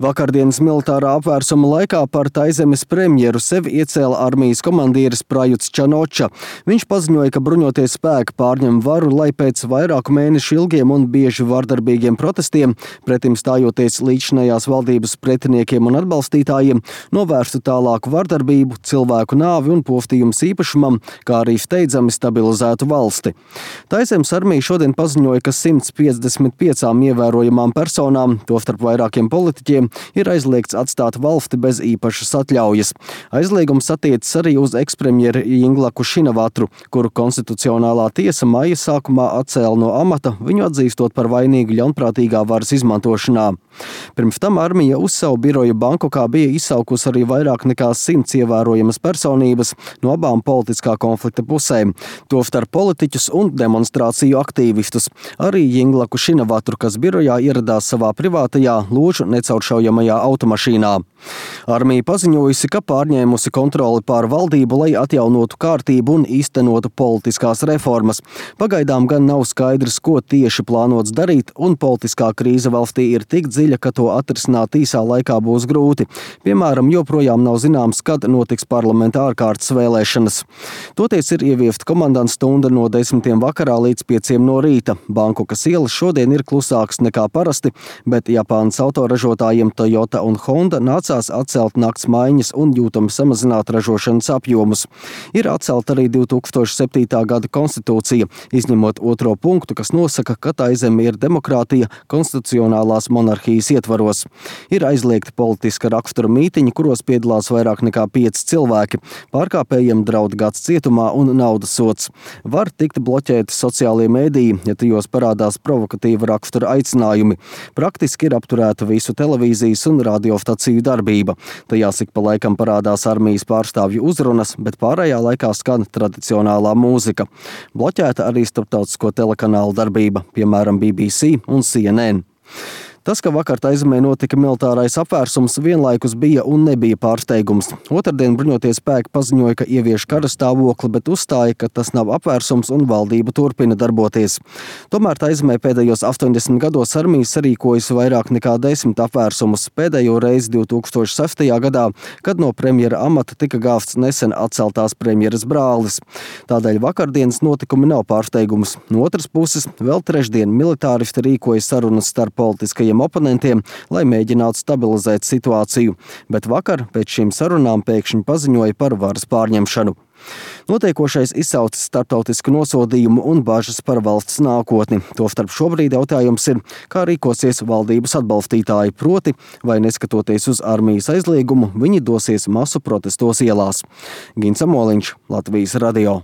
Vakardienas militārā apvērsuma laikā par Taizemes premjeru sevi iecēla armijas komandieris Prajuts Čanoča. Viņš paziņoja, ka bruņoties spēki pārņem varu, lai pēc vairāku mēnešu ilgiem un bieži vardarbīgiem protestiem, pretim stājoties līdzinājās valdības pretiniekiem un atbalstītājiem, novērstu tālāku vardarbību, cilvēku nāvi un poftījums īpašumam, kā arī steidzami stabilizētu valsti. Taizemes armija šodien paziņoja, ka 155 ievērojamām personām, tostarp vairākiem politiķiem, ir aizliegts atstāt valsti bez īpašas atļaujas. Aizliegums attiecas arī uz ekspremjeru Jinglaku Šinavatru, kuru konstitucionālā tiesa maija sākumā atcēla no amata, viņu atzīstot par vainīgu ļaunprātīgā varas izmantošanā. Pirms tam armija uz savu biroju Bankokā bija izsaukusi arī vairāk nekā 100 ievērojamas personības no abām politiskā konflikta pusēm, tostarp politiķus un demonstrāciju aktīvistus. Arī Jinglaku Šinavatru, kas birojā ieradās savā privātajā ložu necauršaujamajā automašīnā. Armija paziņojusi, ka pārņēmusi kontroli pār valdību, lai atjaunotu kārtību un īstenotu politiskās reformas. Pagaidām gan nav skaidrs, ko tieši plānots darīt, un politiskā krīze valstī ir tik dziļa, ka to atrisināt īsā laikā būs grūti. Piemēram, joprojām nav zināms, kad notiks parlamenta ārkārtas vēlēšanas. Toties ir ieviesta komandanta stunda no 10 vakarā līdz 5 no rīta. Bankokas ielas šodien ir klusāks nekā parasti, bet Japānas autoražotājiem Toyota un Honda nācās atcelt nakts maiņas un jūtami samazināt ražošanas apjomus. Ir atcelta arī 2007. gada konstitūcija, izņemot 2. punktu, kas nosaka, ka Taizeme ir demokrātija konstitucionālās monarhijas ietvaros. Ir aizliegti politiska rakstura mītiņi, kuros piedalās vairāk nekā 5 cilvēki. Pārkāpējiem draud gads cietumā un naudas sods. Var tikt bloķēti sociālie mēdīji, ja tajos parādās provokatīva rakstura aicinājumi. Praktiski ir apturēta visu televīzijas un radiostaciju darbība. Tajās ik pa laikam parādās armijas pārstāvju uzrunas, bet pārējā laikā skan tradicionālā mūzika. Bloķēta arī starptautisko telekanālu darbība, piemēram BBC un CNN. Tas, ka vakar Taizemē notika militārais apvērsums, vienlaikus bija un nebija pārsteigums. Otrdien bruņoties spēki paziņoja, ka ievieš kara stāvokli, bet uzstāja, ka tas nav apvērsums un valdība turpina darboties. Tomēr Taizemē pēdējos 80 gados armija sarīkojusi vairāk nekā 10 apvērsumus, pēdējo reizi 2006. gadā, kad no premjera amata tika gāvts nesen atceltās premjeras brālis. Tādēļ vakardienas notikumi nav pārsteigums. No otras puses, vēl trešdien militāristi rīkoja sarunas starp politiskajiem oponentiem, lai mēģinātu stabilizēt situāciju, bet vakar pēc šīm sarunām pēkšņi paziņoja par varas pārņemšanu. Notiekošais izsaucis starptautisku nosodījumu un bažas par valsts nākotni. Tostarp šobrīd jautājums ir, kā rīkosies valdības atbalstītāji, proti, vai neskatoties uz armijas aizliegumu, viņi dosies masu protestos ielās. Gins Amoliņš, Latvijas radio.